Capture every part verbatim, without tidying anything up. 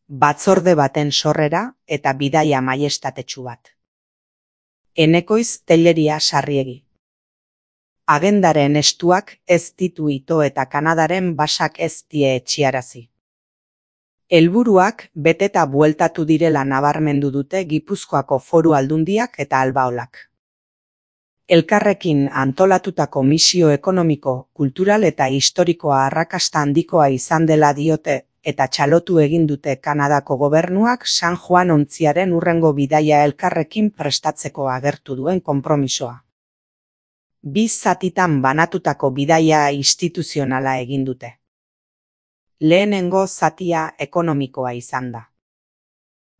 batzorde baten sorrera eta bidaia maiestatetsu bat. Enekoiz Telleria Sarriegi. Agendaren estuak ez ditu ito eta Kanadaren basak ez die etxiarazi. Helburuak beteta bueltatu direla nabarmendu dute Gipuzkoako Foru Aldundiak eta Albaolak. Elkarrekin antolatutako misio ekonomiko, kultural eta historikoa arrakasta handikoa izan dela diote eta txalotu egin dute Kanadako gobernuak San Juan ontziaren hurrengo bidaia elkarrekin prestatzeko agertu duen konpromisoa. Bi zatitan banatutako bidaia instituzionala egin dute. Lehenengo zatia ekonomikoa izan da.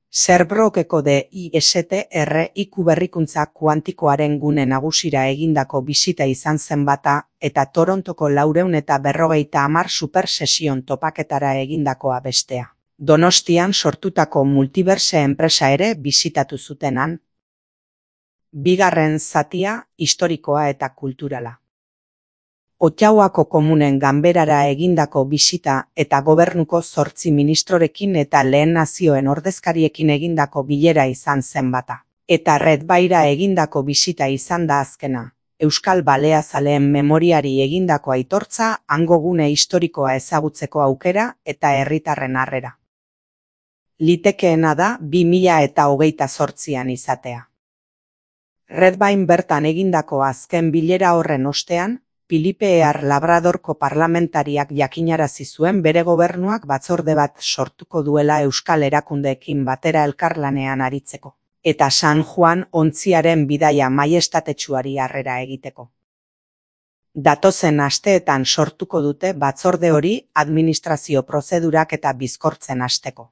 Sherbrookeeko de I S T R iku berrikuntza kuantikoaren gune nagusira egindako bisita izan zen bata eta Torontoko laurehun eta berrogeita hamar supersesion topaketara egindakoa bestea. Donostian sortutako Multiverse enpresa ere bisitatu zutenan. Bigarren zatia historikoa eta kulturala. Ottawako komunen ganberara egindako bisita eta gobernuko zortzi ministrorekin eta lehen nazioen ordezkariekin egindako bilera izan zen bata. Eta Red Baira egindako bisita izan da azkena. Euskal Baleazaleen memoriari egindako aitortza, hango gune historikoa ezagutzeko aukera eta herritarren harrera. Litekeena da bi mila eta hogeita zortzian izatea. Red Bain bertan egindako azken bilera horren ostean, Filipe Ear Labradorko parlamentariak jakinarazi zuen bere gobernuak batzorde bat sortuko duela euskal erakundeekin batera elkarlanean aritzeko, eta San Juan ontziaren bidaia maiestatetsuari harrera egiteko. Datozen asteetan sortuko dute batzorde hori administrazio prozedurak eta bizkortzen hasteko.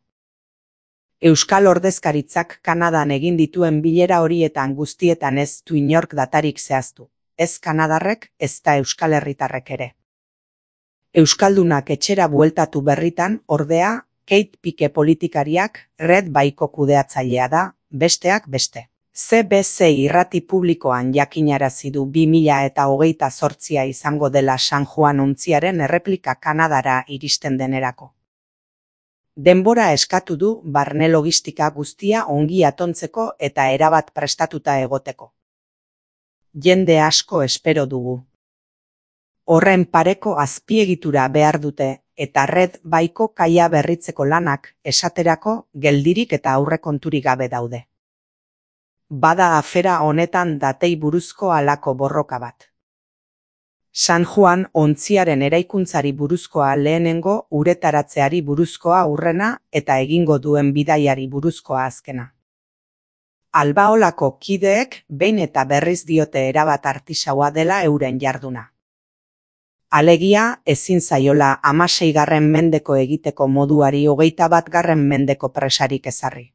Euskal ordezkaritzak Kanadan egin dituen bilera horietan guztietan ez du inork datarik zehaztu. Ez kanadarrek, ez da euskal herritarrek ere. Euskaldunak etxera bueltatu berritan, ordea, Kate Pike politikariak Red Baiko kudeatzailea da, besteak beste. C B C irrati publikoan jakinarazi du bi mila eta hogeita zortzia izango dela San Juan ontziaren erreplika Kanadara iristen denerako. Denbora eskatu du barne logistika guztia ongi atontzeko eta erabat prestatuta egoteko. Jende asko espero dugu. Horren pareko azpiegitura behar dute eta Red Baiko kaia berritzeko lanak esaterako geldirik eta aurrekonturik gabe daude. Bada afera honetan datei buruzko halako borroka bat. San Juan ontziaren eraikuntzari buruzkoa lehenengo, uretaratzeari buruzkoa aurrena eta egingo duen bidaiari buruzkoa azkena. Albaolako kideek behin eta berriz diote erabat artisaua dela euren jarduna. Alegia, ezin zaiola hamaseigarren mendeko egiteko moduari hogeita batgarren mendeko presarik ezarri.